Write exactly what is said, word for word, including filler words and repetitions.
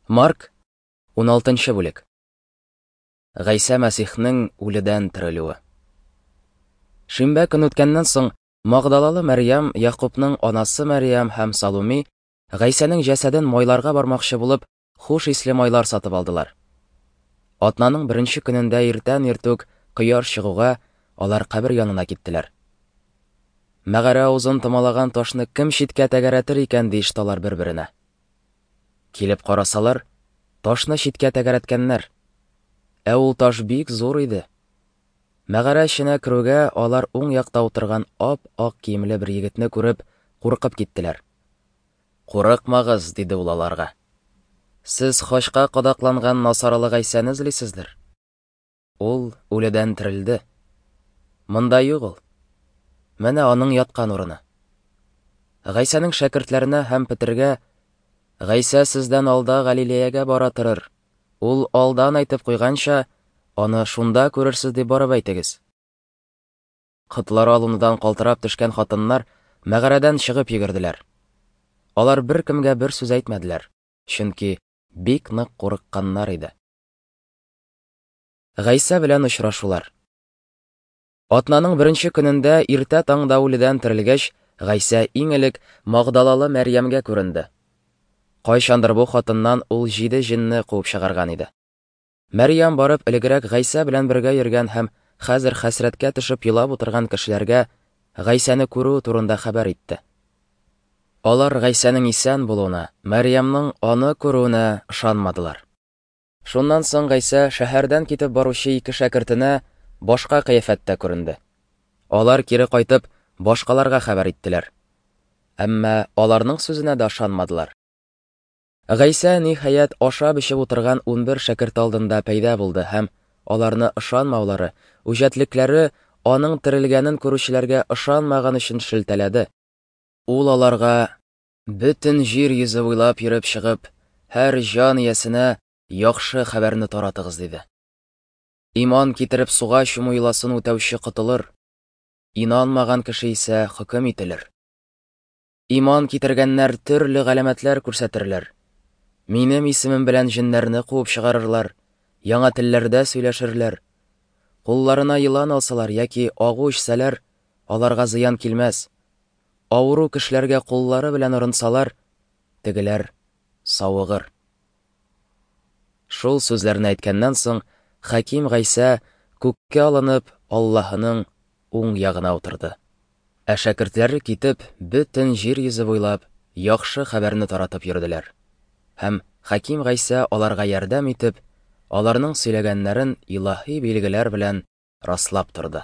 Марк, уналтынчы бүлек. Гайсә Мәсихнең үледән терелүе. Шимбә көн үткәннән соң, Магдалалы Мәрьям, Якубның анасы Мәрьям һәм Салуми Гайсәнең җәсәден майларга бармакчы булып, хуш исле майлар сатып алдылар. Атнаның беренче көнендә иртән иртүк кояш чыгуга алар кабер янына киттеләр. Мәгарә авызын томалаган ташны кем читкә тәгәрәтер икән, диеште алар бер-беренә. Килеп карасалар, ташны читкә тәгәрәткәннәр. Ә ул таш бик зур иде. Мәгарә эченә керүгә алар уң якта утырган ап-ак киемле бер егетне күреп, куркып киттеләр. Курыкмагыз, диде ул аларга. Сез хачка кадакланган Насаралы Гайсәне эзлисездер. Ул үледән терелде. Монда юк ул. Менә аның яткан урыны. Гайсәнең шәкертләренә һәм Петергә: Гайсә сездән алда Галилеягә бара торыр. Ул алдан әйтеп куйганча, аны шунда күрерсез дип барып әйтегез. Котлары алынудан калтырап төшкән хатыннар мәгарәдән чыгып йөгерделәр. Алар беркемгә бер сүз әйтмәделәр, чөнки бик нык курыкканнар иде. Гайсә белән очрашулар. Атнаның беренче көнендә иртә таңда үледән терелгәч, Гайсә иң элек Магдалалы Мәрьямгә күренде. Кайчандыр бу хатыннан ул җиде җинне куып чыгарган иде. Мәрьям барып элегрәк Гайсә белән бергә йөргән һәм хәзер хәсрәткә төшеп елап утырган кешеләргә Гайсәне күрү турында хәбәр итте. Алар Гайсәнең исән булуына, Мәрьямның аны күрүенә ышанмадылар. Шуннан соң Гайсә шәһәрдән китеп баручы ике шәкертенә башка кыяфәттә күренде. Алар кире кайтып, башкаларга хәбәр иттеләр. Әмма аларның сүзенә дә ышанмадылар. Гайсә ниһаять ашап эчеп утырган унбер шәкерт алдында пәйда булды һәм аларны ышанмаулары, үҗәтлекләре аның терелгәнен күрүчеләргә ышанмаган өчен шелтәләде. Ул аларга: бөтен җир йөзе буйлап йөреп чыгып, һәр җан иясенә яхшы хәбәрне таратыгыз, диде. Иман китереп суга чуму йоласын үтәүче котылыр, инанмаган кеше исә хөкем ителер. Иман китергәннәр төрле галәмәтләр күрсәтерләр. Минем исемем белән җеннәрне куып чыгарырлар, яңа телләрдә сөйләшерләр. Кулларына елан алсалар яки агу эчсәләр, аларга зыян килмәс. Авыру кешеләргә куллары белән орынсалар, тегеләр савыгыр. Шул сүзләрне әйткәннән соң, Хаким Гайсә күккә алынып, Аллаһының уң ягына утырды. Ә шәкертләре китеп, бөтен җир йөзе буйлап яхшы хәбәрне таратып йөрделәр. Һәм Хаким Гайсә аларга ярдәм итеп, аларның сөйләгәннәрен илаһи билгеләр белән раслап торды.